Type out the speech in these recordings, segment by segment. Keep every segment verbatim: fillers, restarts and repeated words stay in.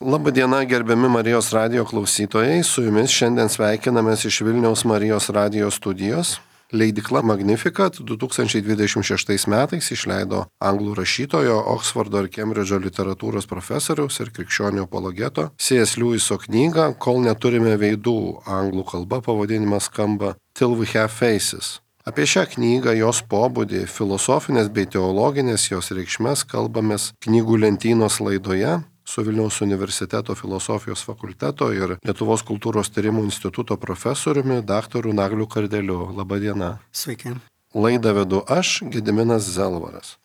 Labadiena, gerbiami Marijos radijo klausytojai, su jumis šiandien sveikinamės iš Vilniaus Marijos radijo studijos. Leidykla Magnificat du tūkstančiai dvidešimt šeštais metais išleido anglų rašytojo, Oksfordo ir Kembridžo literatūros profesoriaus ir krikščionių apologeto C S Lewiso knygą Kol neturime veidų, anglų kalba pavadinimas skamba Till we have faces. Apie šią knygą, jos pobūdį, filosofinės bei teologinės jos reikšmes kalbamės knygų lentynos laidoje su Vilniaus universiteto filosofijos fakulteto ir Lietuvos kultūros tyrimų instituto profesoriumi daktaru Nagliu Kardeliu. Labadiena. Sveiki. Laidą vedu aš, Gediminas Zelvaras.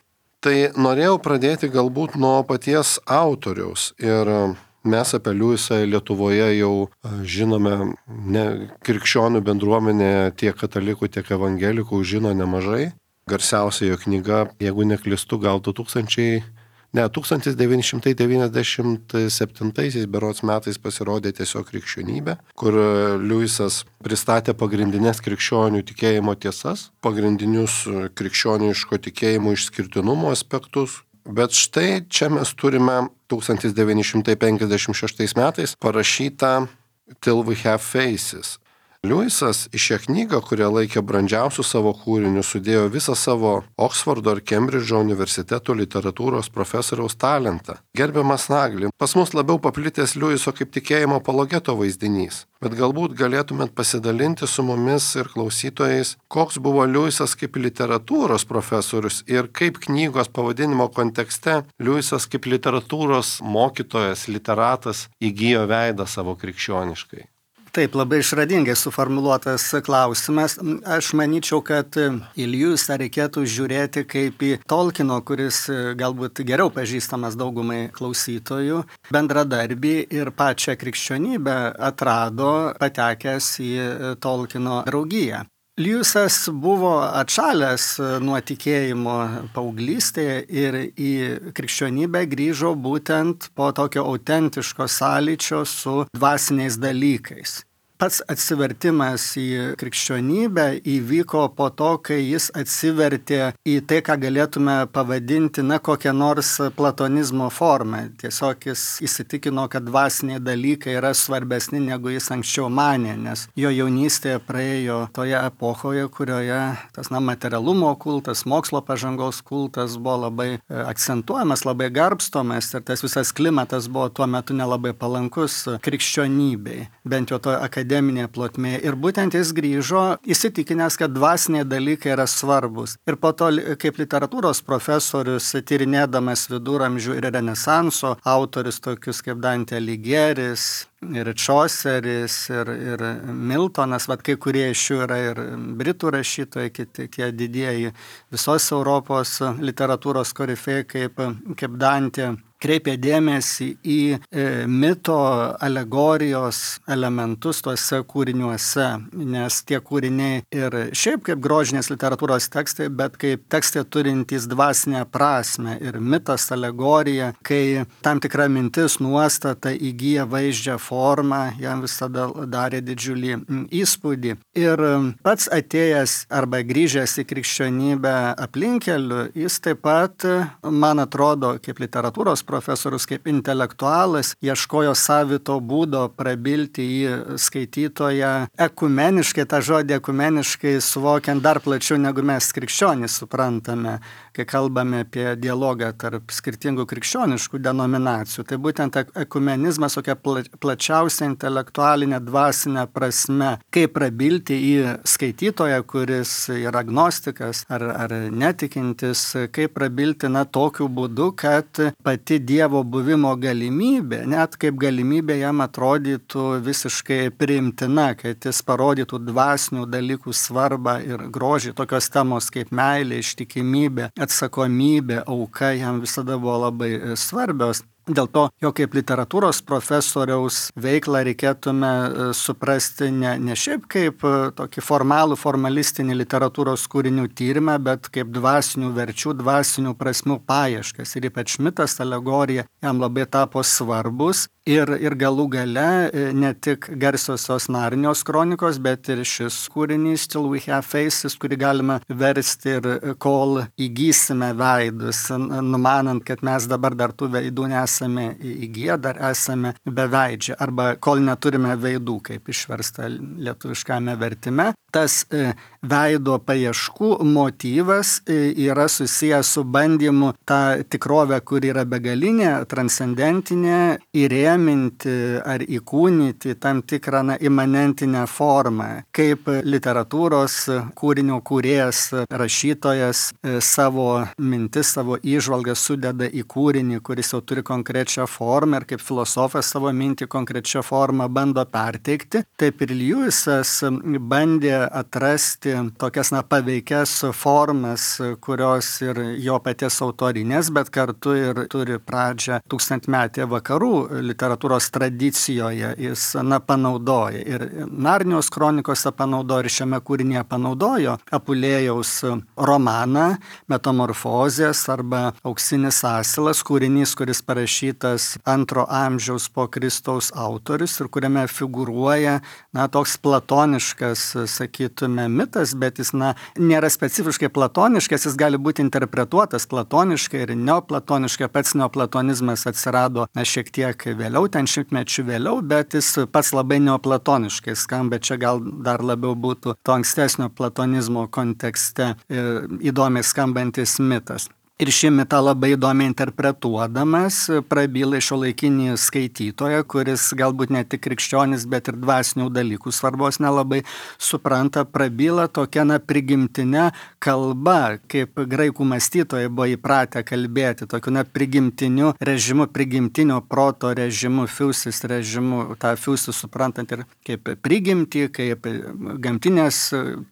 Tai norėjau pradėti galbūt nuo paties autoriaus ir mes apie Lewisą Lietuvoje jau žinome, ne, krikščionių bendruomenė tiek katalikų, tiek evangelikų žino nemažai. Garsiausia jo knyga, jeigu neklystu, gal du tūkstančiai Ne, tūkstantis devyni šimtai devyniasdešimt septintaisiais berods metais pasirodė Tiesiog krikščionybė, kur Lewisas pristatė pagrindinės krikščionių tikėjimo tiesas, pagrindinius krikščioniško tikėjimo išskirtinumo aspektus. Bet štai čia mes turime tūkstantis devyni šimtai penkiasdešimt šeštais metais parašytą Till we have faces. Lewisas į šią knygą, kurią laikė brandžiausių savo kūrinių, sudėjo visą savo Oksfordo ir Kembridžo universiteto literatūros profesoriaus talentą. Gerbiamas Nagli, pas mus labiau paplitęs Lewiso kaip tikėjimo apologeto vaizdinys, bet galbūt galėtumėt pasidalinti su mumis ir klausytojais, koks buvo Lewisas kaip literatūros profesorius ir kaip knygos pavadinimo kontekste Lewisas kaip literatūros mokytojas, literatas įgijo veidą savo krikščioniškai. Taip, labai išradingai suformuluotas klausimas. Aš manyčiau, kad į Lewisą reikėtų žiūrėti kaip į Tolkieno, kuris galbūt geriau pažįstamas daugumai klausytojų, bendradarbį ir pačią krikščionybę atrado patekęs į Tolkieno draugiją. Lewisas buvo atšalęs nuo tikėjimo paauglystėje ir į krikščionybę grįžo būtent po tokio autentiško sąlyčio su dvasiniais dalykais. Pats atsivertimas į krikščionybę įvyko po to, kai jis atsivertė į tai, ką galėtume pavadinti, na, kokią nors platonizmo formą. Tiesiog jis įsitikino, kad dvasiniai dalykai yra svarbesni, negu jis anksčiau manė, nes jo jaunystėje praėjo toje epochoje, kurioje tas, na, materialumo kultas, mokslo pažangos kultas buvo labai akcentuojamas, labai garbstomas ir tas visas klimatas buvo tuo metu nelabai palankus krikščionybei, bent jau to akademinėje akademinėje plotmėje. Ir būtent jis grįžo įsitikinęs, kad dvasiniai dalykai yra svarbus. Ir po to, kaip literatūros profesorius, tyrinėdamas viduramžių ir renesanso autorius tokius kaip Dante Aligieris, ir Chauceris, ir, ir Miltonas, vat kai kurie iš jų yra ir britų rašytojai, kiti tie didieji visos Europos literatūros korifėjai kaip, kaip Dante, kreipė dėmesį į e, mito alegorijos elementus tuose kūriniuose, nes tie kūriniai ir šiaip kaip grožinės literatūros tekstai, bet kaip tekstai turintys dvasinę prasme ir mitas, alegorija, kai tam tikra mintis, nuostata įgyja vaizdžią formą, jam visada darė didžiulį įspūdį. Ir pats atėjęs arba grįžęs į krikščionybę aplinkeliu, jis taip pat, man atrodo, kaip literatūros profesorius, kaip intelektualas, ieškojo savito būdo prabilti į skaitytoją ekumeniškai, tą žodį ekumeniškai suvokiant dar plačiau, negu mes krikščionys suprantame, kai kalbame apie dialogą tarp skirtingų krikščioniškų denominacijų. Tai būtent ekumenizmas tokia plačiausia intelektualinė dvasinė prasme, kaip prabilti į skaitytoją, kuris yra agnostikas ar, ar netikintis, kaip prabilti, na, tokiu būdu, kad pati Dievo buvimo galimybė, net kaip galimybė jam atrodytų visiškai priimtina, kad jis parodytų dvasinių dalykų svarbą ir grožį, tokios temos kaip meilė, ištikimybė, atsakomybė, auka jam visada buvo labai svarbios. Dėl to, jo kaip literatūros profesoriaus veiklą reikėtume suprasti ne, ne šiaip kaip tokį formalų, formalistinį literatūros kūrinių tyrimą, bet kaip dvasinių verčių, dvasinių prasmių paieškas. Ir ypač mitas, alegorija jam labai tapo svarbus. Ir, ir galų gale ne tik garsiosios Narnijos kronikos, bet ir šis kūrinys Till we have faces, kurį galima versti ir kol įgysime veidus, numanant, kad mes dabar dar tų veidų nesame nesame įgyję, dar esame beveidžiai, arba kol neturime veidų, kaip išversta lietuviškame vertime. Tas veido paieškų motyvas yra susijęs su bandymu tą tikrovę, kur yra begalinė, transcendentinė, įrėminti ar įkūnyti tam tikrą na, imanentinę formą, kaip literatūros kūrinio kūrėjas, rašytojas savo mintis, savo įžvalgą sudeda į kūrinį, kuris jau turi konkrečią formą ir kaip filosofas savo mintį konkrečią formą bando perteikti. Taip ir Lewisas bandė atrasti tokias na, paveikias formas, kurios ir jo paties autorinės, bet kartu ir turi pradžią tūkstantmetėje vakarų literatūros tradicijoje. Jis na, panaudoja ir Narnijos kronikose panaudojo ir šiame kūrinyje panaudojo Apulėjaus romaną Metamorfozės arba Auksinis asilas, kūrinys, kuris parašytas antro amžiaus po Kristaus autorius ir kuriame figūruoja na, toks platoniškas, sakytume, mitas, bet jis na, nėra specifiškai platoniškas, jis gali būti interpretuotas platoniškai ir neoplatoniškai. Pats neoplatonizmas atsirado na, šiek tiek vėliau, ten šimtmečių vėliau, bet jis pats labai neoplatoniškai skamba, čia gal dar labiau būtų to ankstesnio platonizmo kontekste įdomiai skambantis mitas. Ir šį mitą labai įdomiai interpretuodamas prabyla šiuolaikinį skaitytoją, kuris galbūt ne tik krikščionis, bet ir dvasinių dalykų svarbos nelabai supranta, prabyla tokia na, prigimtinė kalba, kaip graikų mąstytojai buvo įpratę kalbėti, tokiu na, prigimtiniu režimu, prigimtinio proto režimu, fiusis režimu, tą fiusį suprantant ir kaip prigimtį, kaip gamtinės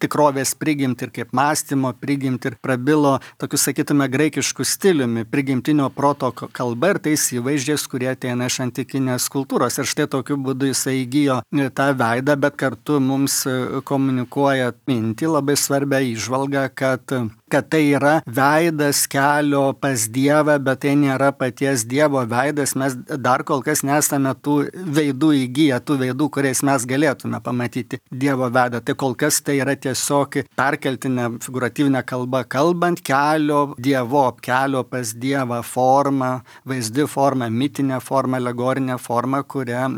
tikrovės prigimtį ir kaip mąstymo prigimtį ir prabilo tokius, sakytume, graikiškus stiliumi, prigimtinio proto kalba ir tais įvaizdžiais, kurie ateina iš antikinės kultūros. Ir štai tokiu būdu jisai įgijo tą veidą, bet kartu mums komunikuoja mintį, labai svarbią įžvalgą, kad kad tai yra veidas kelio pas Dievą, bet tai nėra paties Dievo veidas. Mes dar kol kas nesame tų veidų įgyję, tų veidų, kuriais mes galėtume pamatyti Dievo veidą. Tai kol kas tai yra tiesiog perkeltinė, figūratyvinė kalba, kalbant kelio Dievo, kelio pas Dievą formą, vaizdi forma, mitinė forma, alegorinė forma, kurią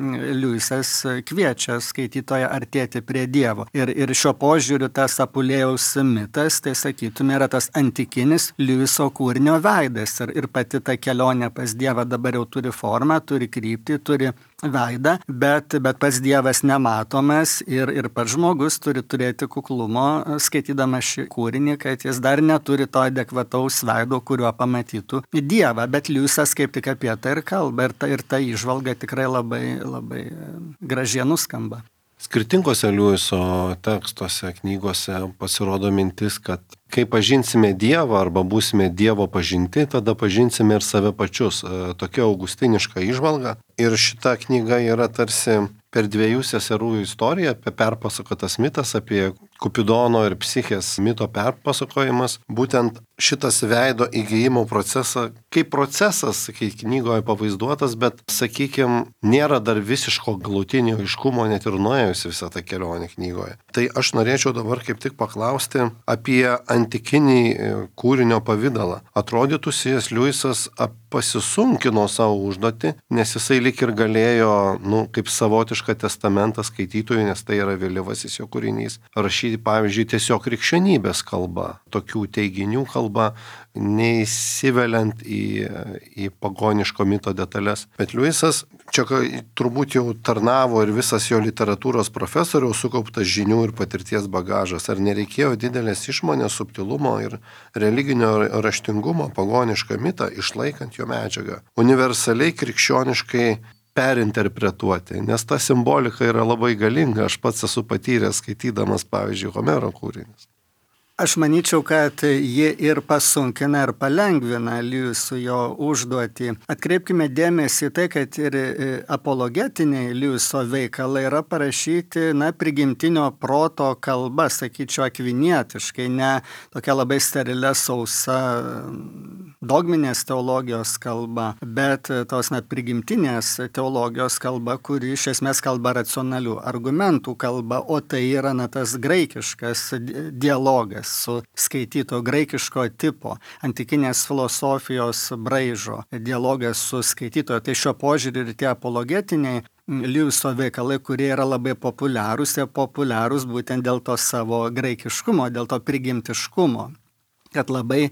Lewisas kviečia skaitytoją artėti prie Dievo. Ir, ir šiuo požiūriu tas Apulėjaus mitas, tai sakytume, yra tas antikinis Lewiso kūrinio veidas ir, ir pati ta kelionė pas Dievą dabar jau turi formą, turi kryptį, turi veidą, bet, bet pats Dievas nematomas ir, ir pats žmogus turi turėti kuklumo skaitydamas šį kūrinį, kad jis dar neturi to adekvataus veido, kuriuo pamatytų Dievą, bet Lewisas kaip tik apie tai ir kalba ir ta, ir ta įžvalga tikrai labai, labai gražiai nuskamba. Skirtingose Lewiso tekstuose, knygose pasirodo mintis, kad kai pažinsime Dievą arba būsime Dievo pažinti, tada pažinsime ir save pačius. Tokia augustiniška įžvalga. Ir šita knyga yra tarsi per dviejų seserų istoriją, apie perpasakotas mitas, apie Kupidono ir Psichės mito perpasakojimas. Būtent šitas veido įgijimo procesą, kaip procesas, kaip knygoje pavaizduotas, bet, sakykime, nėra dar visiško galutinio aiškumo, net ir nuėjus visą tą kelionę knygoje. Tai aš norėčiau dabar kaip tik paklausti apie antikinį kūrinio pavydalą. Atrodytų, C S. Lewisas pasisunkino savo užduotį, nes jisai lik ir galėjo, nu, kaip savotišką testamentą skaitytojui, nes tai yra vėlyvasis jo kūrinys, rašyti, pavyzdžiui, tiesiog krikščionybės kalba, tokių teiginių kalba, neįsiveliant į, į pagoniško mito detalės. Bet Lewisas čia turbūt jau tarnavo ir visas jo literatūros profesoriaus sukauptas žinių ir patirties bagažas. Ar nereikėjo didelės išmonės, subtilumo ir religinio raštingumo pagonišką mitą, išlaikant jo medžiagą, universaliai krikščioniškai perinterpretuoti, nes ta simbolika yra labai galinga, aš pats esu patyręs skaitydamas, pavyzdžiui, Homero kūrinius. Aš manyčiau, kad ji ir pasunkina, ir palengvina Lewiso jo užduotį. Atkreipkime dėmesį į tai, kad ir apologetiniai Lewiso veikalai yra parašyti, na, prigimtinio proto kalba, sakyčiau, akvinietiškai, ne tokia labai sterilė, sausa dogminės teologijos kalba, bet tos, na, prigimtinės teologijos kalba, kuri iš esmės kalba racionalių argumentų kalba, o tai yra, na, tas graikiškas dialogas. su skaitytoju, graikiško tipo, antikinės filosofijos braižo, dialogas su skaitytoju. Tai šio požiūrį ir tie apologetiniai Liujiso veikalai, kurie yra labai populiarūs, jie populiarūs būtent dėl to savo graikiškumo, dėl to prigimtiškumo, kad labai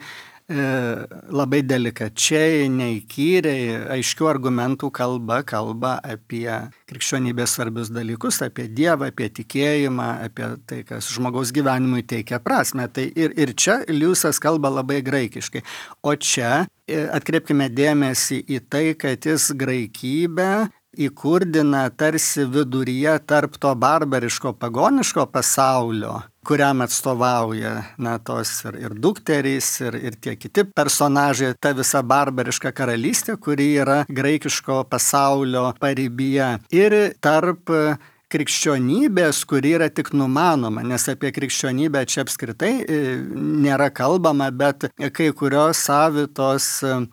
labai delikačiai, neįkyriai, aiškių argumentų kalba, kalba apie krikščionybės svarbius dalykus, apie Dievą, apie tikėjimą, apie tai, kas žmogaus gyvenimui teikia prasme. Tai ir, ir čia Liujisas kalba labai graikiškai. O čia atkreipkime dėmesį į tai, kad jis graikybę įkurdina tarsi viduryje tarp to barbariško pagoniško pasaulio, kuriam atstovauja na, tos ir, ir dukterys, ir, ir tie kiti personažai, ta visa barbariška karalystė, kuri yra graikiško pasaulio paribyje, ir tarp krikščionybės, kuri yra tik numanoma, nes apie krikščionybę čia apskritai nėra kalbama, bet kai kurios savitos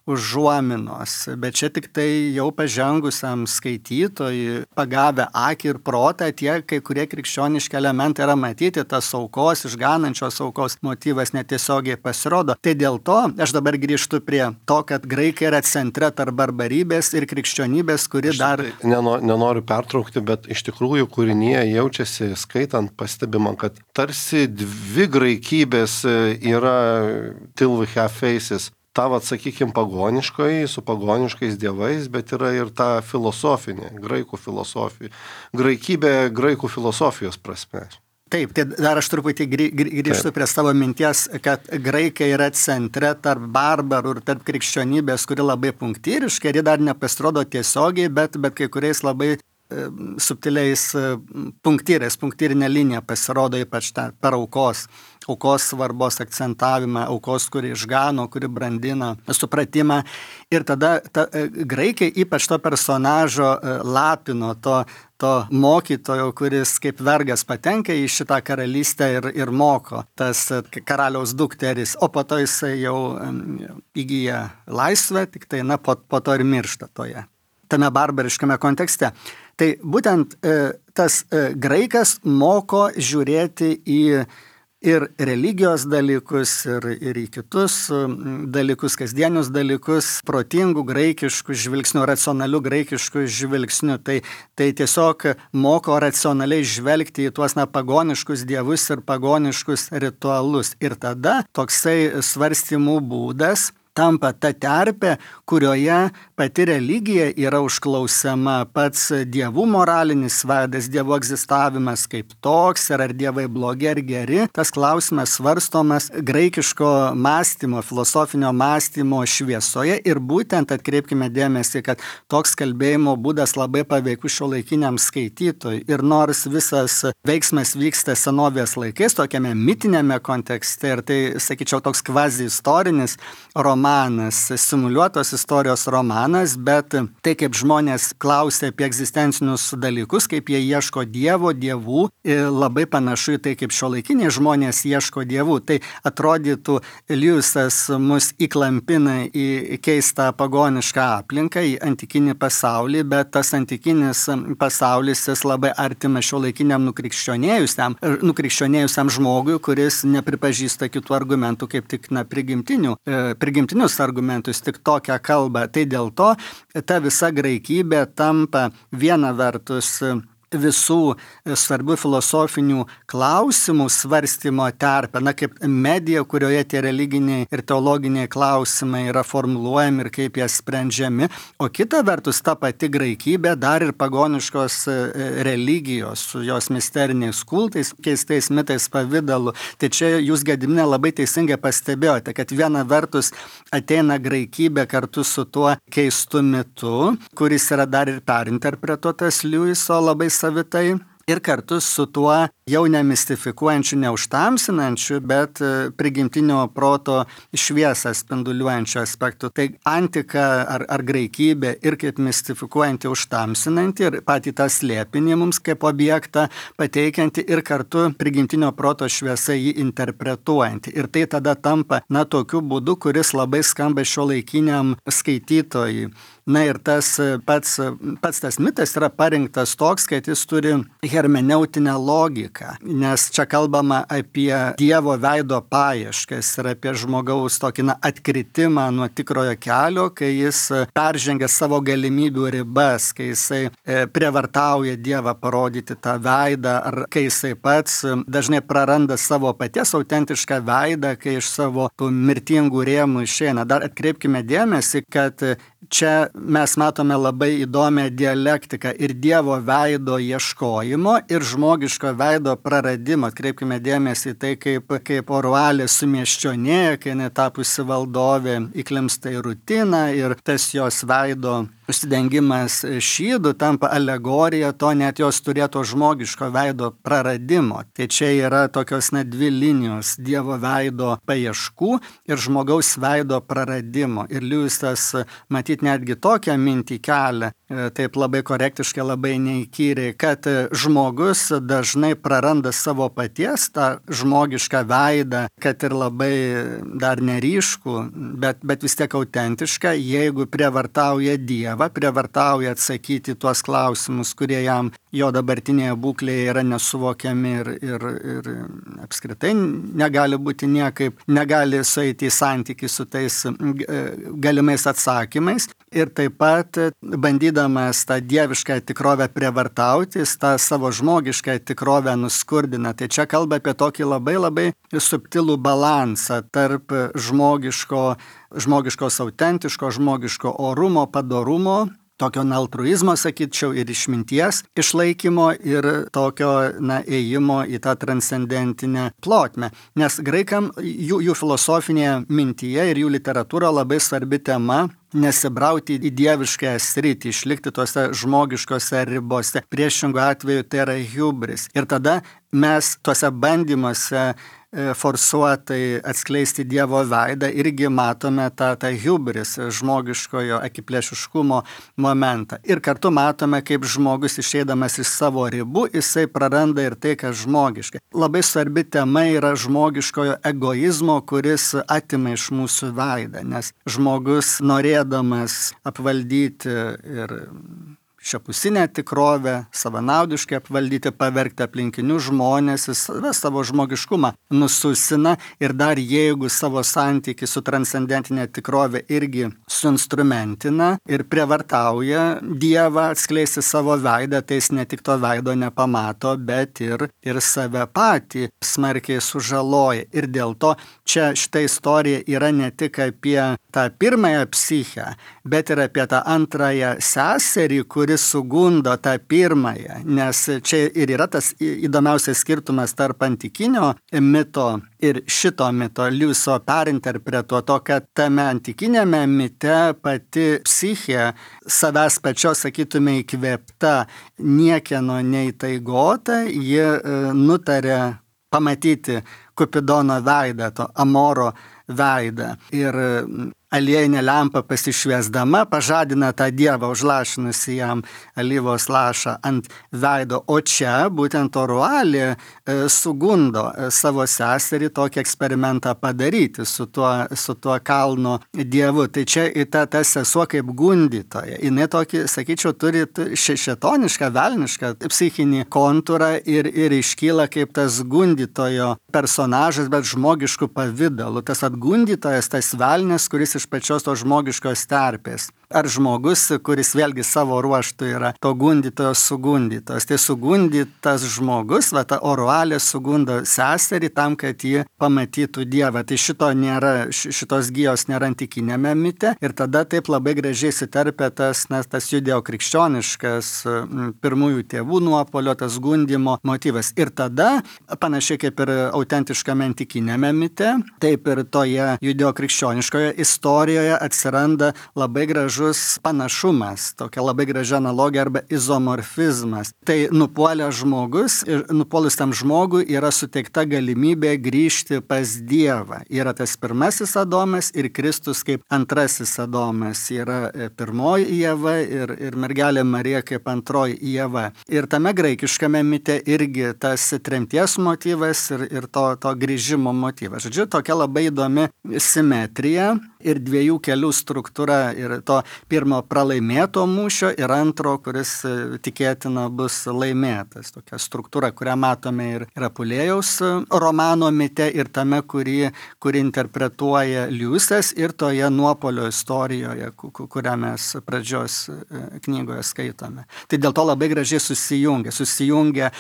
užuominos. Bet čia tik tai jau pažengusiam skaitytojui, pagavę akį ir protą, tie kai kurie krikščioniški elementai yra matyti, tas aukos, išganančios aukos motyvas netiesiogiai pasirodo. Tai dėl to aš dabar grįžtu prie to, kad graikai yra centre tarp barbarybės ir krikščionybės, kuri aš dar... Nenoriu, nenoriu pertraukti, bet iš tikrųjų kūrinyje jaučiasi, skaitant, pastebima, kad tarsi dvi graikybės yra till we have faces. Ta, vat, sakykime, pagoniškoji, su pagoniškais dievais, bet yra ir ta filosofinė, graikų filosofija. Graikybė graikų filosofijos prasme. Taip, tai dar aš truputį grįžtu prie savo minties, kad graikai yra centre tarp barbarų ir tarp krikščionybės, kuri labai punktyriška, ir ji dar nepasirodo tiesiogiai, bet, bet kai kuriais labai subtiliais punktyrais, punktyrinė linija pasirodo ypač ta, per aukos, aukos svarbos akcentavimą, aukos, kuri išgano, kuri brandina supratimą. Ir tada ta, graikai ypač to personažo lapino, to, to mokytojo, kuris kaip vergas patenka į šitą karalystę ir, ir moko, tas karaliaus dukteris, o po to jisai jau įgyja laisvę, tik tai na, po, po to ir miršta toje, tame barbariškame kontekste. Tai būtent e, tas e, graikas moko žiūrėti į ir religijos dalykus, ir, ir į kitus dalykus, kasdienius dalykus, protingų graikiškų žvilgsnių, racionalių graikiškų žvilgsnių. Tai, tai tiesiog moko racionaliai žvelgti į tuos na, pagoniškus dievus ir pagoniškus ritualus. Ir tada toksai svarstymų būdas tampa ta terpė, kurioje pati religija yra užklausiama, pats dievų moralinis veidas, dievų egzistavimas kaip toks, ir ar dievai blogi ar geri. Tas klausimas svarstomas graikiško mąstymo, filosofinio mąstymo šviesoje, ir būtent atkreipkime dėmesį, kad toks kalbėjimo būdas labai paveikus šiuolaikiniam skaitytojui. Ir nors visas veiksmas vyksta senovės laikais, tokiame mitinėme kontekste, ir tai, sakyčiau, toks kvazi istorinis romanas, romanas, simuliuotos istorijos romanas, bet tai, kaip žmonės klausia apie egzistencinius dalykus, kaip jie ieško dievo, dievų, labai panašu į tai, kaip šiuolaikiniai žmonės ieško dievų. Tai atrodytų, Liujisas mus įklampina į keistą pagonišką aplinką, į antikinį pasaulį, bet tas antikinis pasaulis jis labai artimas šiuolaikiniam nukrikščionėjusiam, nukrikščionėjusiam žmogui, kuris nepripažįsta kitų argumentų, kaip tik na, prigimtinių, prigimtinius argumentus, tik tokią kalbą. Tai dėl to ta visa graikybė tampa viena vertus visų svarbių filosofinių klausimų svarstymo terpę, na kaip medija, kurioje tie religiniai ir teologiniai klausimai yra formuluojami ir kaip jie sprendžiami, o kita vertus ta pati graikybė dar ir pagoniškos religijos su jos misteriniais kultais, keistais mitais pavidalu. Tai čia jūs, Gediminai, labai teisingai pastebėjote, kad viena vertus ateina graikybė kartu su tuo keistu mitu, kuris yra dar ir perinterpretuotas Liujiso labai savitai, ir kartu su tuo jau nemistifikuojančiu, neužtamsinančiu, bet prigimtinio proto šviesą spinduliuojančiu aspektu. Tai antika ar, ar graikybė ir kaip mistifikuojanti, užtamsinanti, ir patį tą slėpinį mums kaip objektą pateikianti, ir kartu prigimtinio proto šviesą jį interpretuojanti. Ir tai tada tampa, na, tokiu būdu, kuris labai skamba šiuolaikiniam skaitytojui. Na ir tas pats, pats tas mitas yra parinktas toks, kad jis turi hermeneutinę logiką, nes čia kalbama apie Dievo veido paieškas ir apie žmogaus tokį na, atkritimą nuo tikrojo kelio, kai jis peržengia savo galimybių ribas, kai jisai prievartauja Dievą parodyti tą veidą, ar kai jisai pats dažnai praranda savo paties autentišką veidą, kai iš savo tų mirtingų rėmų išeina. Dar atkreipkime dėmesį, kad čia mes matome labai įdomią dialektiką ir Dievo veido ieškojimo ir žmogiško veido praradimo. Atkreipkime dėmesį į tai, kaip, kaip Orualė sumiesčionėja, kai netapusi valdovė įklimsta į rutiną ir tas jos veido užsidengimas šydų tampa alegorija to net jos turėto žmogiško veido praradimo. Tai čia yra tokios net dvi linijos – Dievo veido paieškų ir žmogaus veido praradimo. Ir Liujisas matyt netgi tokią mintį kelia, taip labai korektiškai, labai neįkyriai, kad žmogus dažnai praranda savo paties tą žmogišką veidą, kad ir labai dar neryškų, bet, bet vis tiek autentišką, jeigu prievartauja Dievą, prievartauja atsakyti tuos klausimus, kurie jam jo dabartinėje būklėje yra nesuvokiami ir, ir, ir apskritai negali būti niekaip, negali sueiti į santykį su tais galimais atsakymais. Ir taip pat bandydamas tą dievišką tikrovę prievartauti, tą savo žmogišką tikrovę nuskurdina. Tai čia kalba apie tokį labai labai subtilų balansą tarp žmogiško, žmogiškos autentiško, žmogiško orumo, padorumo, tokio altruizmo, sakyčiau, ir išminties išlaikymo ir tokio na, ėjimo į tą transcendentinę plotmę. Nes graikam jų, jų filosofinėje mintyje ir jų literatūra labai svarbi tema nesibrauti į dieviškąją sritį, išlikti tuose žmogiškose ribose. Priešingų atveju tai yra hubris. Ir tada mes tuose bandymuose forsuotai atskleisti Dievo veidą irgi matome tą, tą hubris, žmogiškojo akiplėšiškumo momentą. Ir kartu matome, kaip žmogus išeidamas iš savo ribų, jisai praranda ir tai, kas žmogiška. Labai svarbi tema yra žmogiškojo egoizmo, kuris atima iš mūsų veidą, nes žmogus norėdamas apvaldyti ir šiapusinę tikrovę, savanaudiškai apvaldyti, pavergti aplinkinius žmonės, jis savo žmogiškumą nususina ir dar jeigu savo santykį su transcendentinė tikrovė irgi suinstrumentina ir prievartauja Dievą atskleisti savo veidą, tai jis ne tik to veido nepamato, bet ir, ir save patį smarkiai sužaloja. Ir dėl to čia šita istorija yra ne tik apie tą pirmąją psichę, bet ir apie tą antrąją seserį, kuri sugundo tą pirmąją, nes čia ir yra tas įdomiausias skirtumas tarp antikinio mito ir šito mito, Liujiso perinterpretuoto, kad tame antikinėme mite pati psichė savęs pačios, sakytume, įkvėpta, niekieno neįtaigota, ji nutarė pamatyti Kupidono veidą, to Amoro veidą. Ir aliejinė lempa pasišviesdama pažadina tą dievą, užlašinusi jam alyvos lašą ant veido. O čia būtent Orualė e, sugundo savo seserį tokį eksperimentą padaryti su tuo, su tuo kalno dievu. Tai čia į tą, tą sesuo kaip gundytoja. Jinai tokį, sakyčiau, turi šešetonišką, velnišką psichinį kontūrą ir, ir iškyla kaip tas gundytojo personažas, bet žmogiškų pavydalų. Tas atgundytojas, tas velnis, kuris iš pačios to žmogiškos terpės. Ar žmogus, kuris vėlgi savo ruoštų yra to gundytojo sugundytos. Tai sugundytas žmogus, va ta Orualė sugundo seserį tam, kad ji pamatytų Dievą. Tai šito nėra, šitos gijos nėra antikinėme mite ir tada taip labai gražiai įsiterpia tas, nes tas judeo-krikščioniškas pirmųjų tėvų nuopolio, tas gundymo motyvas. Ir tada, panašiai kaip ir autentiškame antikinėme mite, taip ir toje judeo-krikščioniškoje istorijoje atsiranda labai gražus panašumas, tokia labai gražia analogija arba izomorfizmas. Tai nupuolęs žmogus ir nupuolus tam žmogui yra suteikta galimybė grįžti pas Dievą. Yra tas pirmasis Adomas ir Kristus kaip antrasis Adomas. Yra pirmoji Ieva ir, ir mergelė Marija kaip antroji Ieva. Ir tame graikiškame mite irgi tas tremties motyvas ir, ir to, to grįžimo motyvas. Žodžiu, tokia labai įdomi simetrija. Ir ir dviejų kelių struktūra ir to pirmo pralaimėto mūšio ir antro, kuris tikėtina bus laimėtas. Tokia struktūra, kurią matome ir, ir Apulėjaus romano mite ir tame, kurį, kurį interpretuoja Liujisas ir toje nuopolio istorijoje, kurią mes pradžios knygoje skaitome. Tai dėl to labai gražiai susijungia. Susijungia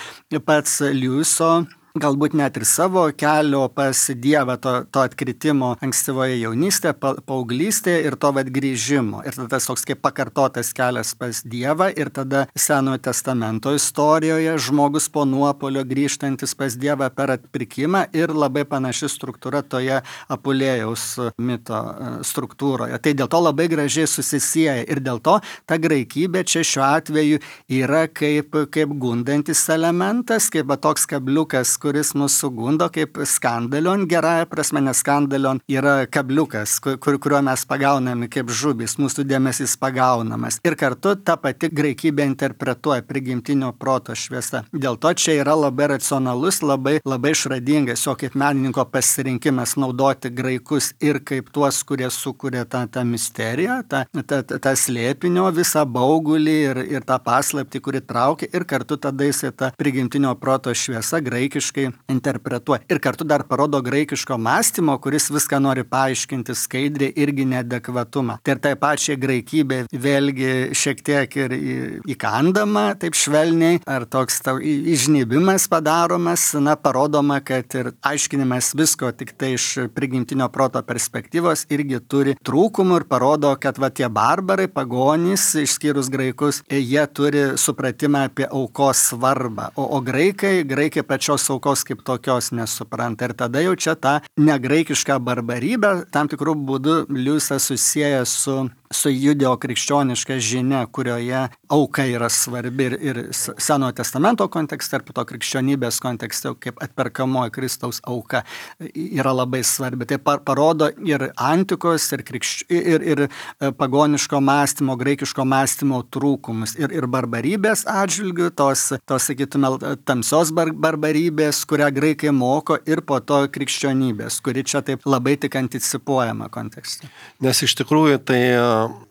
pats Liujiso, galbūt net ir savo kelio pas Dievą, to, to atkritimo ankstyvoje jaunystėje, pa, paauglystėje ir to vat grįžimo. Ir tada tas toks kaip pakartotas kelias pas Dievą ir tada Senojo testamento istorijoje žmogus po nuopolio grįžtantis pas Dievą per atpirkimą ir labai panaši struktūra toje Apulėjaus mito struktūroje. Tai dėl to labai gražiai susisieja ir dėl to ta graikybė čia šiuo atveju yra kaip, kaip gundantis elementas, kaip va, toks kabliukas, kuris mūsų gundo kaip skandalion, gerąją prasme, nes skandalion yra kabliukas, kur, kuriuo mes pagauname kaip žubis, mūsų dėmesys pagaunamas. Ir kartu ta pati graikybė interpretuoja prigimtinio proto šviesa. Dėl to čia yra labai racionalus, labai, labai išradingas jo kaip menininko pasirinkimas naudoti graikus ir kaip tuos, kurie sukuria tą, tą misteriją, tą, tą, tą slėpinio visą baugulį ir, ir tą paslaptį, kuri traukia ir kartu tada jisai tą prigimtinio proto šviesa graikiškai interpretuoja. Ir kartu dar parodo graikiško mąstymo, kuris viską nori paaiškinti skaidriai irgi neadekvatumą. Tai ir tai pačiai graikybė vėlgi šiek tiek ir įkandama, taip švelniai, ar toks tau įžnybimas padaromas, na, parodoma, kad ir aiškinimas visko tik tai iš prigimtinio proto perspektyvos irgi turi trūkumų ir parodo, kad va tie barbarai, pagonys, išskyrus graikus, jie turi supratimą apie aukos svarbą. O, o graikai, graikai pačios aukos kaip tokios nesupranta. Ir tada jau čia tą negraikišką barbarybę tam tikrų būdų Liujisas susieja su su judeo-krikščioniška žinia, kurioje auka yra svarbi ir, ir Senojo testamento kontekste, ir po to krikščionybės kontekste, kaip atperkamoji Kristaus auka yra labai svarbi. Tai parodo ir antikos, ir, krikšč... ir, ir pagoniško mąstymo, graikiško mąstymo trūkumus, ir, ir barbarybės atžvilgių, tos, tos sakytume, tamsios bar- barbarybės, kurią graikai moko, ir po to krikščionybės, kuri čia taip labai tik anticipuojama kontekste. Nes iš tikrųjų tai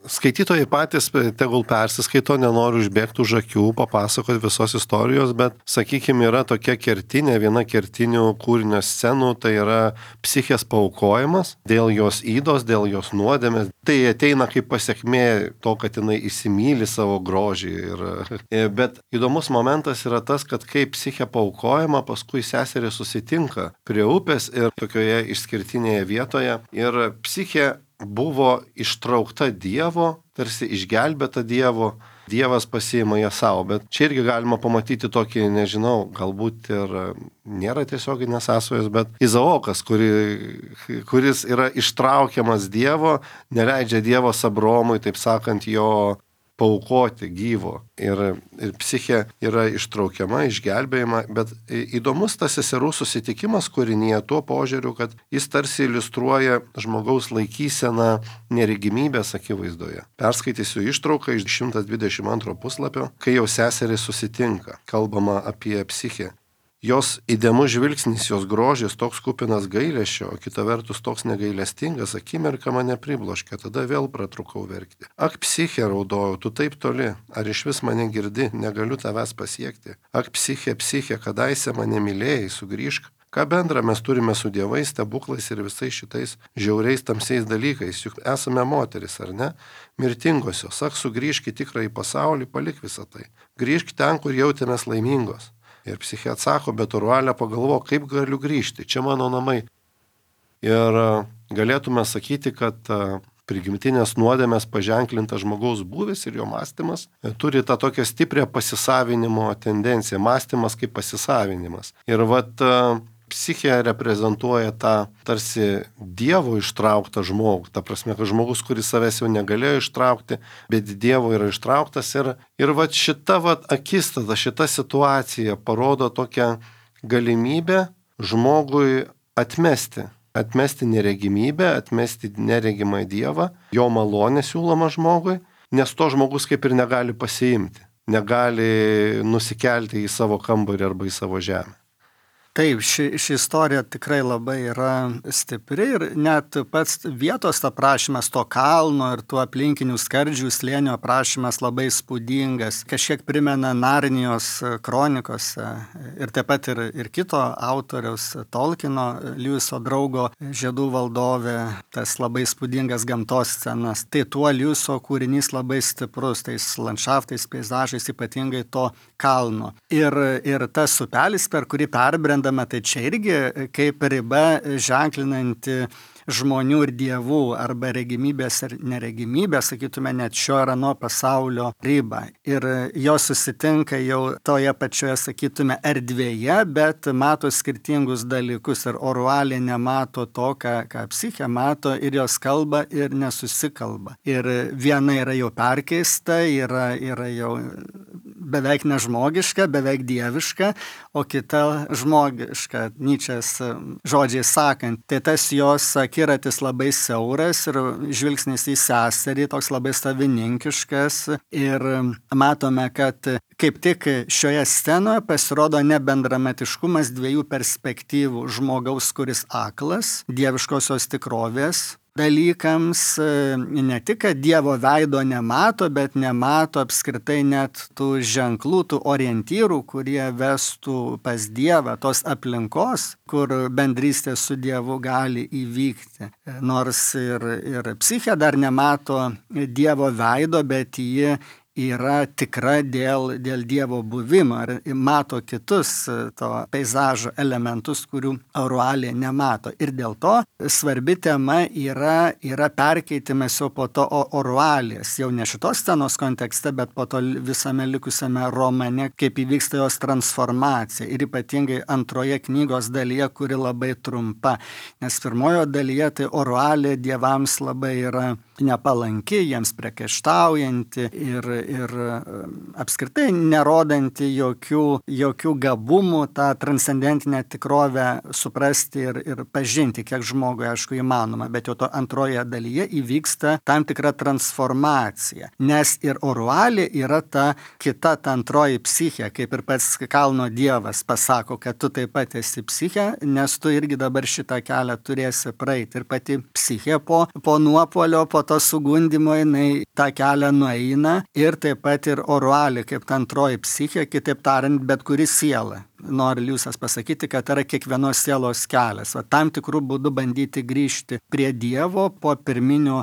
skaitytojai patys tegul persiskaito, nenoriu užbėgti už akių, papasakoti visos istorijos, bet, sakykime, yra tokia kertinė, viena kertinių kūrinio scenų, tai yra psichės paaukojimas dėl jos ydos, dėl jos nuodėmės. Tai ateina kaip pasiekmė to, kad jinai įsimyli savo grožį. Ir, bet įdomus momentas yra tas, kad kai psichė paaukojama, paskui seserė susitinka prie upės ir tokioje išskirtinėje vietoje ir psichė buvo ištraukta Dievo, tarsi išgelbėta Dievo, Dievas pasiima ją savo, bet čia irgi galima pamatyti tokį, nežinau, galbūt ir nėra tiesioginės sąsajos, bet Izaokas, kuri, kuris yra ištraukiamas Dievo, neleidžia Dievas Abromui, taip sakant, jo paaukoti gyvo. Ir, ir psichė yra ištraukiama, išgelbėjama, bet įdomus tas seserų susitikimas kūrinyje tuo požiūriu, kad jis tarsi iliustruoja žmogaus laikyseną neregimybės akivaizdoje. Perskaitysiu ištrauką iš šimtas dvidešimt antro puslapio, kai jau seserys susitinka, kalbama apie psichę. Jos įdėmus žvilgsnis, jos grožis toks kupinas gailesčio, o kita vertus toks negailestingas, akimirka mane pribloškė, tada vėl pratrukau verkti. Ak, psichė, raudojau, tu taip toli, ar iš vis mane girdi, negaliu tavęs pasiekti. Ak, psichė, psichė, kadaise mane mylėjai, sugrįžk. Ką bendra mes turime su dievais, stebuklais ir visais šitais žiauriais tamsiais dalykais, juk esame moteris, ar ne? Mirtingosios, ak, sugrįžk į tikrąjį pasaulį, palik visą tai. Grįžk ten, kur jautėmės laimingos. Ir psichė atsako, bet orualė pagalvo, kaip galiu grįžti, čia mano namai. Ir galėtume sakyti, kad prigimtinės nuodėmės paženklintas žmogaus būvis ir jo mąstymas turi tą tokią stiprią pasisavinimo tendenciją, mąstymas kaip pasisavinimas. Ir vat psichė reprezentuoja tą tarsi Dievo ištrauktą žmogų, ta prasme, kad žmogus, kuris savęs jau negalėjo ištraukti, bet Dievo yra ištrauktas ir, ir vat šita vat akistata, šita situacija parodo tokią galimybę žmogui atmesti, atmesti neregimybę, atmesti neregimą Dievą, jo malonę siūloma žmogui, nes to žmogus kaip ir negali pasiimti, negali nusikelti į savo kambarį arba į savo žemę. Taip, ši, ši istorija tikrai labai yra stipri ir net pats vietos aprašymas to kalno ir tų aplinkinių skardžių slėnio aprašymas labai spūdingas. Kažkiek primena Narnijos kronikose ir taip pat ir, ir kito autoriaus Tolkieno, Liuiso draugo Žiedų valdovė, tas labai spūdingas gamtos scenas. Tai tuo Liuiso kūrinys labai stiprus, tais landšaftais, peizažais, ypatingai to kalno. Ir, ir tas upelis, per kurį perbrenda, tai čia irgi kaip riba ženklinanti žmonių ir dievų arba regimybės ir neregimybės, sakytume, net šio ir ano pasaulio ribą. Ir jos susitinka jau toje pačioje, sakytume, erdvėje, bet mato skirtingus dalykus ir Orualė nemato to, ką, ką psichė mato ir jos kalba ir nesusikalba. Ir viena yra jau perkeista, yra, yra jau beveik nežmogiška, beveik dieviška, o kita žmogiška, Nyčės žodžiai sakant. Tai tas jos akiratis labai siauras ir žvilgsnis į seserį toks labai savininkiškas ir matome, kad kaip tik šioje scenoje pasirodo nebendramatiškumas dviejų perspektyvų žmogaus, kuris aklas, dieviškosios tikrovės dalykams, ne tik, kad Dievo veido nemato, bet nemato apskritai net tų ženklų, tų orientyrų, kurie vestų pas Dievą, tos aplinkos, kur bendrystė su Dievu gali įvykti. Nors ir, ir psichė dar nemato Dievo veido, bet ji yra tikra dėl, dėl Dievo buvimo ir mato kitus to peizažo elementus, kurių Orualė nemato. Ir dėl to svarbi tema yra, yra perkeitimas jau po to Orualės, jau ne šitos scenos kontekste, bet po to visame likusiame romane, kaip įvyksta jos transformacija. Ir ypatingai antroje knygos dalyje, kuri labai trumpa. Nes pirmojo dalyje tai Orualė dievams labai yra nepalanki, jiems priekaištaujanti ir, ir apskritai nerodanti jokių, jokių gabumų tą transcendentinę tikrovę suprasti ir, ir pažinti, kiek žmogui, aišku, įmanoma. Bet jau to antroje dalyje įvyksta tam tikra transformacija. Nes ir Orualė yra ta kita, ta antroji psichė, kaip ir pats kalno dievas pasako, kad tu taip pat esi psichė, nes tu irgi dabar šitą kelią turėsi praeiti. Ir pati psichė po, po nuopuolio, po to sugundimo jinai tą kelią nueina ir taip pat ir Orualė kaip ta antroji psichė, kitaip tariant, bet kuri siela. Nori Liusas pasakyti, kad yra kiekvienos sielos kelias. Va, tam tikrų būdų bandyti grįžti prie Dievo po pirminio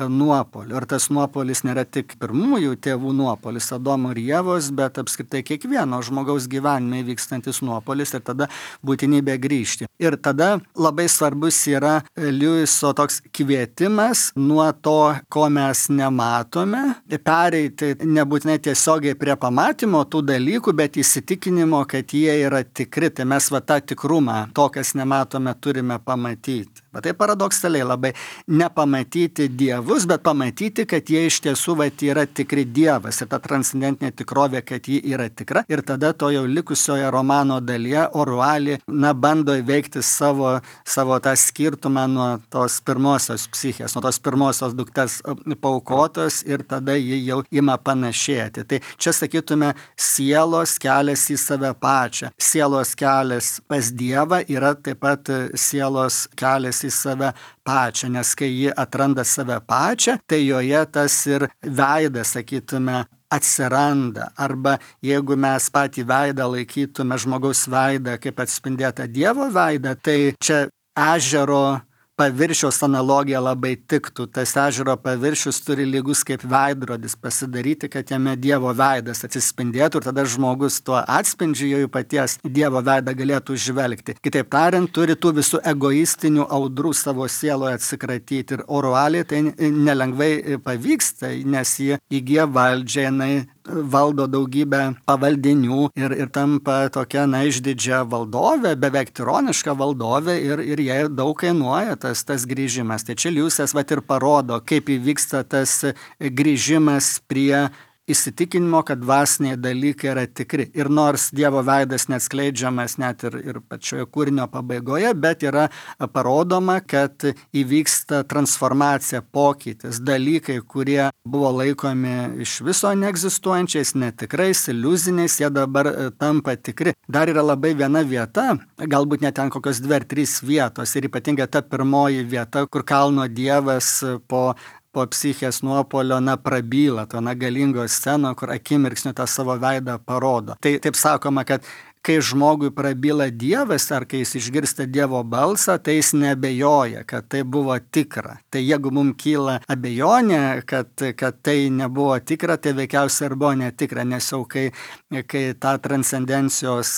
nuopolio. Ir tas nuopolis nėra tik pirmųjų tėvų nuopolis, Adomo ir Ievos, bet apskritai kiekvieno žmogaus gyvenime vykstantis nuopolis ir tada būtinybė grįžti. Ir tada labai svarbus yra Liuiso toks kvietimas nuo to, ko mes nematome, pereiti nebūtinai tiesiogiai prie pamatymo tų dalykų, bet įsitikinimo, kad jie yra tikri, tai mes va tą tikrumą, to, kas nematome, turime pamatyti. Bet tai paradoksaliai labai nepamatyti dievus, bet pamatyti, kad jie iš tiesų va, yra tikri dievas ir ta transcendentinė tikrovė, kad ji yra tikra. Ir tada to jau likusioje romano dalyje Orualė na, bando įveikti savo, savo tą skirtumą nuo tos pirmosios psichės, nuo tos pirmosios dukters paukotos ir tada ji jau ima panašėti. Tai čia sakytume sielos kelias į save pačią. Sielos kelias pas Dievą yra taip pat sielos kelias į save pačią, nes kai ji atranda save pačią, tai joje tas ir veidas, sakytume, atsiranda. Arba jeigu mes patį veidą laikytume žmogaus veidą kaip atspindėtą Dievo veidą, tai čia ežero paviršiaus analogija labai tiktų. Tas ežero paviršius turi lygus kaip veidrodis pasidaryti, kad jame Dievo veidas atsispindėtų ir tada žmogus tuo atspindžiu jau paties Dievo veidą galėtų žvelgti. Kitaip tariant, turi tų visų egoistinių audrų savo sieloje atsikratyti ir Orualė tai nelengvai pavyksta, nes ji įgyja valdžią, jinai valdo daugybę pavaldinių ir, ir tampa tokia, na, išdidžia valdovė, beveik tironiška valdovė ir, ir jai daug kainuoja tas, tas grįžimas. Tai čia Liusas vat ir parodo, kaip įvyksta tas grįžimas prie įsitikinimo, kad dvasiniai dalykai yra tikri. Ir nors Dievo veidas neatskleidžiamas net ir, ir pačioje kūrinio pabaigoje, bet yra parodoma, kad įvyksta transformacija, pokytis, dalykai, kurie buvo laikomi iš viso neegzistuojančiais, netikrais, iliuziniais, jie dabar tampa tikri. Dar yra labai viena vieta, galbūt net ten kokios dvi ar trys vietos, ir ypatingai ta pirmoji vieta, kur kalno Dievas po po psichės nuopolio, na, prabyla, to na galingo sceno, kur akimirksniu tą savo veidą parodo. Tai taip sakoma, kad kai žmogui prabyla Dievas, ar kai jis išgirsta Dievo balsą, tai jis neabejoja, kad tai buvo tikra. Tai jeigu mums kyla abejonė, kad, kad tai nebuvo tikra, tai veikiausiai ir buvo netikra, nes jau kai, kai tą transcendencijos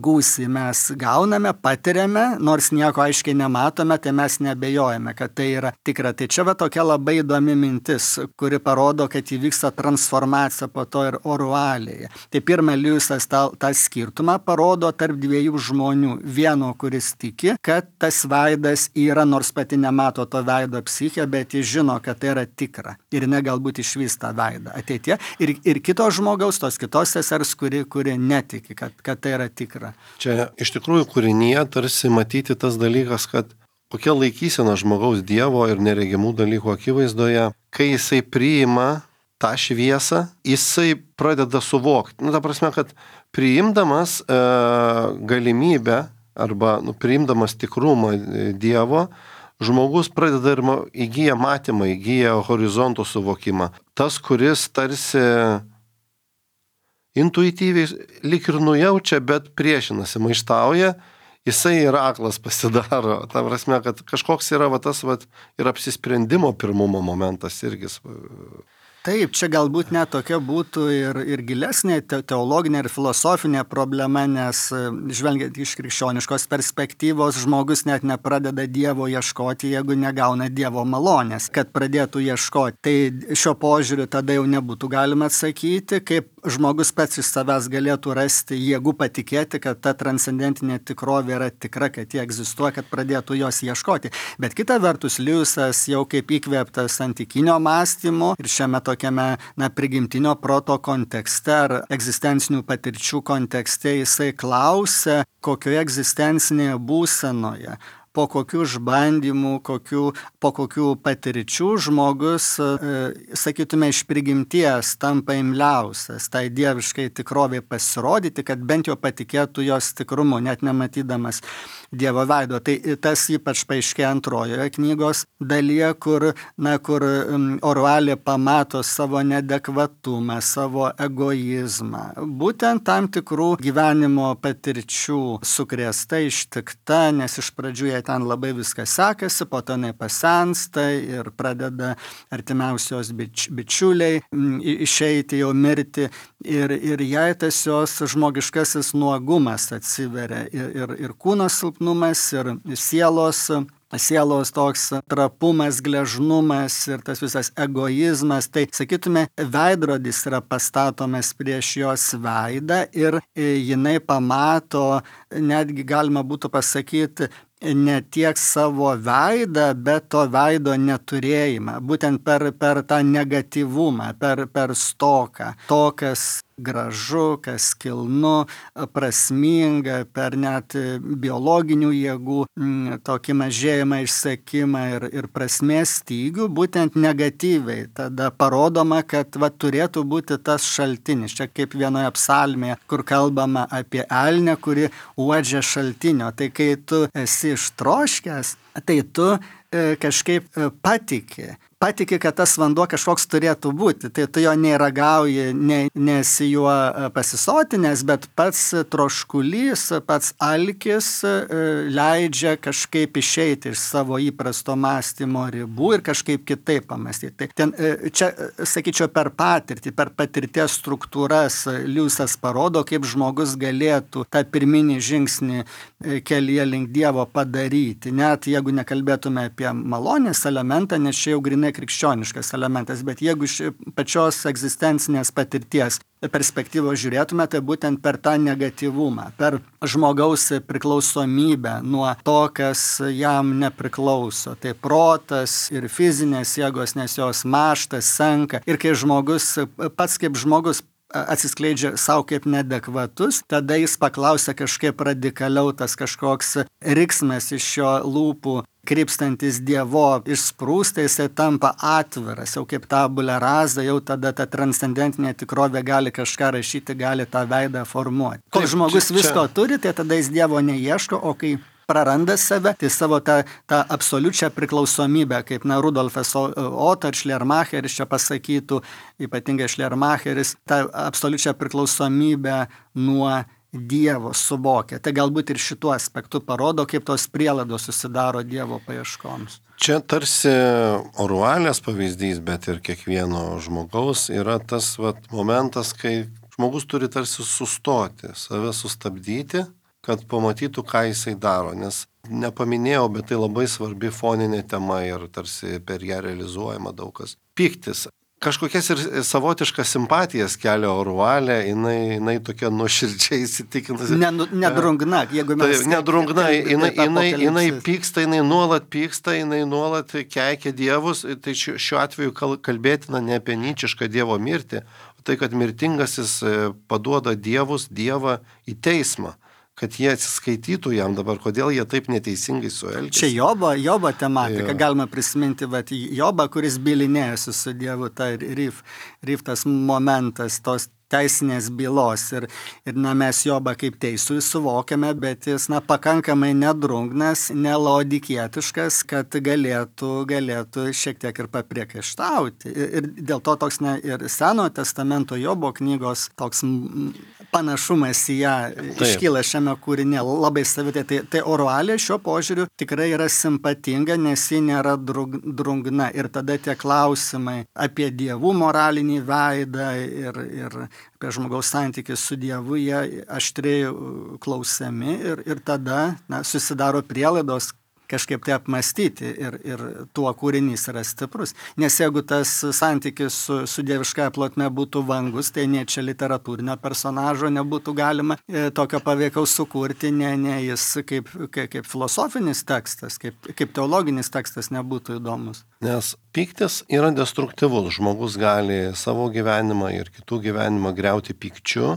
gūsį mes gauname, patiriame, nors nieko aiškiai nematome, tai mes neabejojame, kad tai yra tikra. Tai čia va tokia labai įdomi mintis, kuri parodo, kad įvyksta transformacija po to ir orualėje. Tai pirma, Liujisas tą, tą skirtumą parodo tarp dviejų žmonių. Vieno, kuris tiki, kad tas veidas yra, nors pati nemato to veido psichė, bet jis žino, kad tai yra tikra. Ir ne galbūt išvys tą veidą ateitie. Ir, ir kito žmogaus, tos kitos sesers, kuri, kuri netiki, kad, kad tai yra tikra. Čia iš tikrųjų kūrinyje tarsi matyti tas dalykas, kad kokia laikysena žmogaus Dievo ir neregimų dalykų akivaizdoje, kai jisai priima tą šviesą, jisai pradeda suvokti. Nu, ta prasme, kad priimdamas e, galimybę arba nu, priimdamas tikrumą Dievo, žmogus pradeda ir įgyja matymą, įgyja horizonto suvokimą. Tas, kuris tarsi intuityviai lyg ir nujaučia, bet priešinasi, maištauja, jisai ir aklas pasidaro. Ta prasme, kad kažkoks yra va, tas va, ir apsisprendimo pirmumo momentas irgi. Taip, čia galbūt net tokia būtų ir, ir gilesnė te, teologinė ir filosofinė problema, nes žvelgiant iš krikščioniškos perspektyvos, žmogus net nepradeda Dievo ieškoti, jeigu negauna Dievo malonės, kad pradėtų ieškoti. Tai šio požiūriu tada jau nebūtų galima atsakyti, kaip žmogus pats iš savęs galėtų rasti jėgų patikėti, kad ta transcendentinė tikrovė yra tikra, kad jie egzistuoja, kad pradėtų jos ieškoti. Bet kita vertus, Liujisas jau kaip įkvėptas antikinio mąstymo ir šiame tokiame na, prigimtinio proto kontekste ar egzistencinių patirčių kontekste, jisai klausia, kokioje egzistencinėje būsenoje, po kokių išbandymų, kokių, po kokių patirčių žmogus, e, sakytume, iš prigimties tampa imliausias tai dieviškai tikroviai pasirodyti, kad bent jau patikėtų jos tikrumu, net nematydamas Dievo veido. Tai tas ypač paaiškėja antrojoje knygos dalyje, kur, na, kur Orualė pamato savo neadekvatumą, savo egoizmą. Būtent tam tikrų gyvenimo patirčių sukrėsta, ištikta, nes iš pradžių jai ten labai viskas sekasi, po to jinai pasensta ir pradeda artimiausios bič, bičiuliai išeiti, jau mirti. Ir, ir jai tas jos žmogiškasis nuogumas atsiveria ir, ir, ir kūno silpnumas, ir sielos, sielos toks trapumas, gležnumas ir tas visas egoizmas. Tai, sakytume, veidrodis yra pastatomas prieš jos veidą ir jinai pamato, netgi galima būtų pasakyti, ne tiek savo veidą, bet to veido neturėjimą, būtent per, per tą negatyvumą, per, per stoką, to, kas gražu, kas kilnu, prasminga, per net biologinių jėgų tokį mažėjimą, išsekimą ir, ir prasmės stygių, būtent negatyviai. Tada parodoma, kad va, turėtų būti tas šaltinis. Čia kaip vienoje psalmėje, kur kalbama apie elnę, kuri uodžia šaltinio. Tai kai tu esi ištroškęs, tai tu e, kažkaip e, patiki. Patiki, kad tas vanduo kažkoks turėtų būti. Tai tu jo neragauji, ne, nesi juo pasisotinęs, bet pats troškulys, pats alkis leidžia kažkaip išeiti iš savo įprasto mąstymo ribų ir kažkaip kitaip pamastyti. Tai ten, čia, sakyčiau, per patirtį, per patirties struktūras Liujisas parodo, kaip žmogus galėtų tą pirminį žingsnį kelyje link Dievo padaryti. Net jeigu nekalbėtume apie malonės elementą, nes čia jau grinai nekrikščioniškas elementas, bet jeigu iš pačios egzistencinės patirties perspektyvos žiūrėtume, tai būtent per tą negatyvumą, per žmogaus priklausomybę nuo to, kas jam nepriklauso. Tai protas ir fizinės jėgos, nes jos mąžta, senka. Ir kai žmogus, pats kaip žmogus atsiskleidžia savo kaip neadekvatus, tada jis paklausia kažkaip radikaliau, tas kažkoks riksmas iš šio lūpų krypstantis Dievo išsprūsta, jisai tampa atviras, jau kaip tabula rasa, jau tada ta transcendentinė tikrovė gali kažką rašyti, gali tą veidą formuoti. Kol Taip, žmogus čia- visko turi, tai tada jis Dievo neieško, o kai praranda save, tai savo tą, tą absoliučią priklausomybę, kaip na, Rudolfas Otto ir Schleiermacheris čia pasakytų, ypatingai Schleiermacheris, tą absoliučią priklausomybę nuo Dievo suvokia. Tai galbūt ir šituo aspektu parodo, kaip tos prielaidos susidaro Dievo paieškoms. Čia tarsi Orualės pavyzdys, bet ir kiekvieno žmogaus yra tas vat, momentas, kai žmogus turi tarsi sustoti, save sustabdyti, kad pamatytų, ką jisai daro. Nes nepaminėjau, bet tai labai svarbi foninė tema ir tarsi per ją realizuojama daug kas. Pyktis. Kažkokias ir savotiškas simpatijas kelia Orualė, jinai, jinai tokia nuoširdžiai įsitikinusi. Nedrungna, jeigu mes... Tai nedrungna, jinai, jinai, jinai pyksta, jinai nuolat pyksta, jinai nuolat keikia dievus. Tai šiuo atveju kalbėtina ne apie nyčišką dievo mirtį, o tai, kad mirtingasis paduoda dievus, dievą į teismą, kad jie atsiskaitytų jam dabar, kodėl jie taip neteisingai suelgėsi. Čia Jobo, Jobo tematika, ja. Galima prisiminti, vat, Jobą, kuris bylinėjasi su Dievu, tai Rif, Rif tas momentas, tos teisinės bylos. Ir, ir na, mes Jobą kaip teisų suvokiame, bet jis na, pakankamai nedrungnas, nelodikietiškas, kad galėtų, galėtų šiek tiek ir papriekaištauti. Ir, ir dėl to toks ne, ir Senojo testamento Jobo knygos toks panašumas į ją Taip. Iškyla šiame kūrinė labai savitai. Tai, tai Orualė šiuo požiūriu tikrai yra simpatinga, nes ji nėra drungna. Ir tada tie klausimai apie dievų moralinį veidą ir, ir apie žmogaus santykį su Dievu, jie aštriai klausiami ir, ir tada na, susidaro prielaidos kažkaip tai apmastyti ir, ir tuo kūrinys yra stiprus. Nes jeigu tas santykis su, su dieviškąja plotme būtų vangus, tai ne čia literatūrinio personažo nebūtų galima e, tokio paveikaus sukurti, ne, ne jis kaip, kaip, kaip filosofinis tekstas, kaip, kaip teologinis tekstas nebūtų įdomus. Nes pyktis yra destruktyvus. Žmogus gali savo gyvenimą ir kitų gyvenimą griauti pykčiu,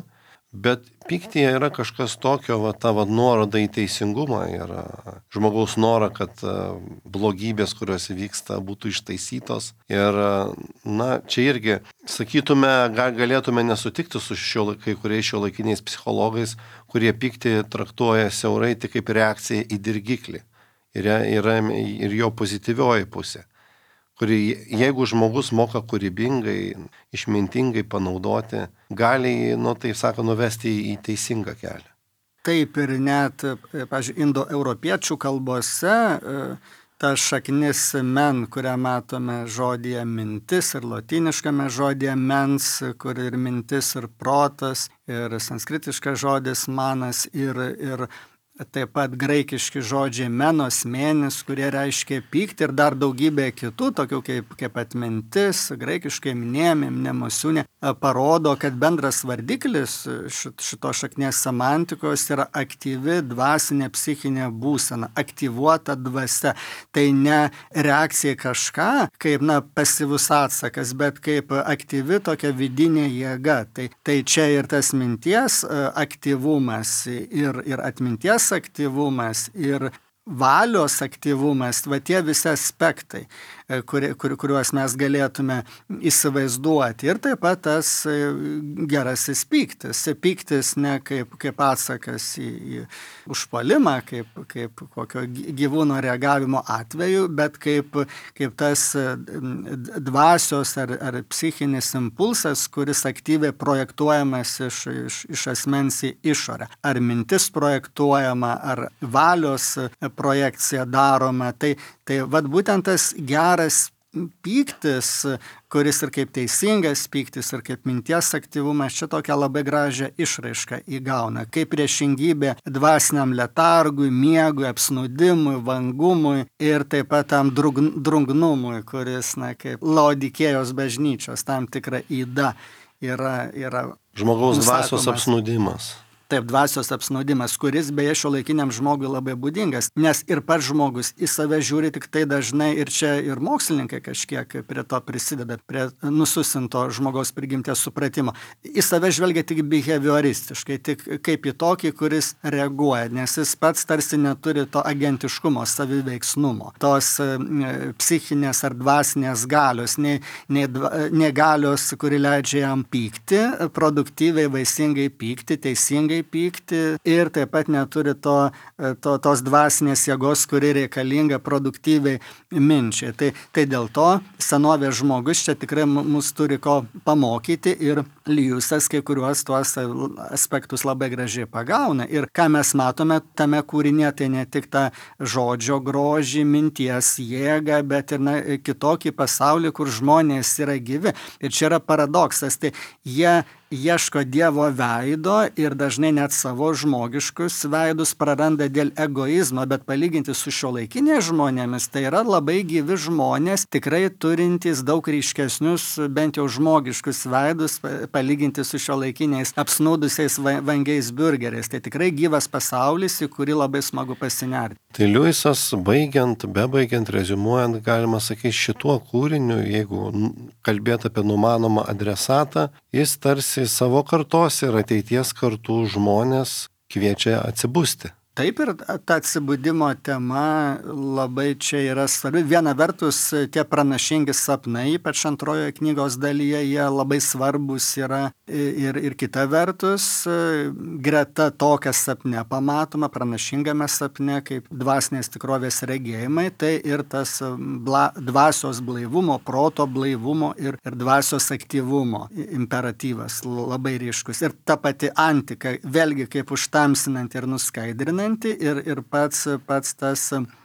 bet pyktyje yra kažkas tokio, va, ta va, nuoroda į teisingumą ir žmogaus norą, kad blogybės, kurios vyksta, būtų ištaisytos. Ir, na, čia irgi, sakytume, galėtume nesutikti su šio, kai kuriais šiuolaikiniais psichologais, kurie pyktį traktuoja siaurai tik kaip reakciją į dirgiklį. Ir, yra, ir jo pozityvioji pusė, kuri, jeigu žmogus moka kūrybingai, išmintingai panaudoti, gali, nu, taip sako, nuvesti į teisingą kelią. Taip ir net, pavyzdžiui, indoeuropiečių kalbose ta šaknis men, kurią matome žodyje mintis ir lotyniškame žodyje mens, kur ir mintis ir protas, ir sanskritiškas žodis manas ir, ir taip pat graikiški žodžiai menos, mėnis, kurie reiškia pyktį ir dar daugybė kitų, tokių kaip, kaip atmintis, graikiškai minėjami, mnemosiūnė, parodo, kad bendras vardiklis šito šaknies semantikos yra aktyvi dvasinė psichinė būsena, aktyvuota dvasia. Tai ne reakcija kažką, kaip na, pasyvus atsakas, bet kaip aktyvi tokia vidinė jėga. Tai, tai čia ir tas minties aktyvumas ir, ir atminties aktyvumas ir valios aktyvumas, va tie visi aspektai, kur, kur, kuriuos mes galėtume įsivaizduoti. Ir taip pat tas gerasis pyktis. Pyktis ne kaip, kaip atsakas į, į užpuolimą, kaip, kaip kokio gyvūno reagavimo atveju, bet kaip, kaip tas dvasios ar, ar psichinis impulsas, kuris aktyviai projektuojamas iš, iš, iš asmens į išorę. Ar mintis projektuojama, ar valios projekcija daroma. Tai, tai vat būtent tas geras pyktis, kuris ir kaip teisingas pyktis, ir kaip minties aktyvumas, čia tokią labai gražią išraišką įgauna. Kaip priešingybė dvasiniam letargui, miegui, apsnūdimui, vangumui ir taip pat tam drungnumui, kuris, na, kaip Laodikėjos bažnyčios tam tikra yda yra, yra žmogaus dvasios nusakomas. apsnūdimas. Taip, dvasios apsnaudimas, kuris beje šiuolaikiniam žmogui labai būdingas, nes ir pats žmogus į save žiūri tik tai dažnai ir čia ir mokslininkai kažkiek prie to prisideda, prie nususinto žmogaus prigimties supratimo. Į save žvelgia tik behavioristiškai, tik kaip į tokį, kuris reaguoja, nes jis pats tarsi neturi to agentiškumo, saviveiksnumo, tos psichinės ar dvasinės galios, nei, nei, nei galios, kuri leidžia jam pykti, produktyviai, vaisingai pykti, teisingai pykti ir taip pat neturi to, to, tos dvasinės jėgos, kuri reikalinga produktyviai minčiai. Tai, tai dėl to senovės žmogus čia tikrai mus turi ko pamokyti ir Lijusas kai kuriuos tuos aspektus labai gražiai pagauna. Ir ką mes matome tame kūrinė, tai ne tik tą žodžio grožį, minties jėgą, bet ir na, kitokį pasaulį, kur žmonės yra gyvi. Ir čia yra paradoksas. Tai jie ieško Dievo veido ir dažnai net savo žmogiškus veidus praranda dėl egoizmo, bet palyginti su šiuolaikiniais žmonėmis, tai yra labai gyvi žmonės, tikrai turintys daug ryškesnius, bent jau žmogiškus veidus, palyginti su šiuolaikiniais apsnūdusiais vangiais burgeriais. Tai tikrai gyvas pasaulis, į kurį labai smagu pasinerti. Tai Liujisas, baigiant, bebaigiant, reziumuojant, galima sakyti, šituo kūriniu, jeigu kalbėt apie numanomą adresatą, jis tarsi savo kartos ir ateities kartų žmonės kviečia atsibusti. Taip ir ta atsibudimo tema labai čia yra svarbi. Viena vertus, tie pranašingi sapnai, ypač antrojoje knygos dalyje, jie labai svarbus yra ir, ir kita vertus, greta to, kas sapne pamatoma, pranašingame sapne, kaip dvasinės tikrovės regėjimai, tai ir tas bla, dvasios blaivumo, proto blaivumo ir, ir dvasios aktyvumo imperatyvas labai ryškus. Ir ta pati antika, vėlgi kaip užtamsinanti ir nuskaidrinanti, Ir, ir pats, pats tas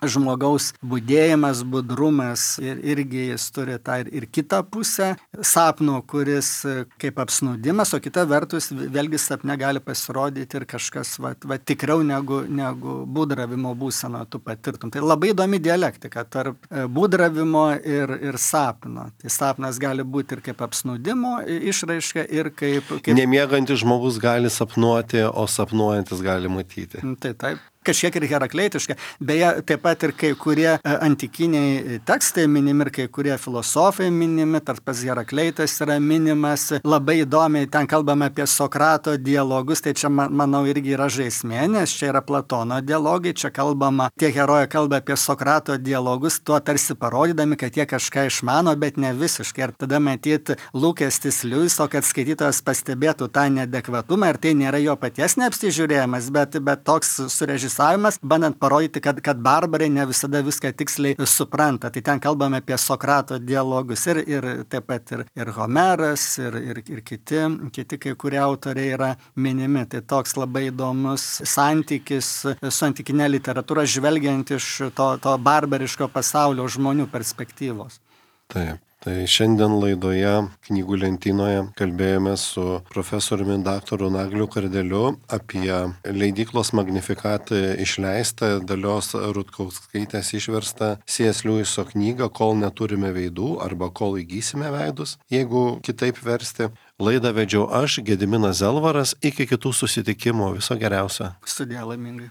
žmogaus budėjimas, budrumas, ir, irgi jis turi tą ir, ir kitą pusę sapno, kuris kaip apsnūdimas, o kita vertus vėlgi sapne gali pasirodyti ir kažkas va, va, tikriau negu, negu būdravimo būseno tu patirtum. Tai labai įdomi dialektika tarp būdravimo ir, ir sapno. Tai sapnas gali būti ir kaip apsnūdimo išraiška ir kaip... kaip... Nemiegantis žmogus gali sapnuoti, o sapnuojantis gali matyti. Tai taip. Kažkiek ir herakleitiška. Beje, taip pat ir kai kurie antikiniai tekstai minimi ir kai kurie filosofai minimi, tarp pas Herakleitas yra minimas. Labai įdomiai ten kalbame apie Sokrato dialogus, tai čia, manau, irgi yra žaismė, nes čia yra Platono dialogai, čia kalbama, tie herojai kalba apie Sokrato dialogus, tuo tarsi parodydami, kad jie kažką išmano, bet ne visiškai. Ir tada matyti lūkestis Liujiso, kad skaitytojas pastebėtų tą neadekvatumą ir tai nėra jo paties neapsižiūrėjimas, bet, bet toks surežisuotas, bandant parodyti, kad, kad barbarai ne visada viską tiksliai supranta. Tai ten kalbame apie Sokrato dialogus ir, ir taip pat ir, ir Homeras, ir, ir, ir kiti, kiti kai kurie autoriai yra minimi. Tai toks labai įdomus santykis su antikinė literatūra, žvelgiant iš to, to barbariško pasaulio žmonių perspektyvos. Taip. Tai šiandien laidoje knygų lentynoje kalbėjome su profesoriumi daktaru Nagliu Kardeliu apie leidyklos Magnificat išleistą Dalios Rutkauskaitės išverstą C S Liujiso knygą Kol neturime veidų arba Kol įgysime veidus, jeigu kitaip versti. Laidą vedžiau aš, Gediminas Zelvaras, iki kitų susitikimų. Viso geriausio. Sudie laimingai.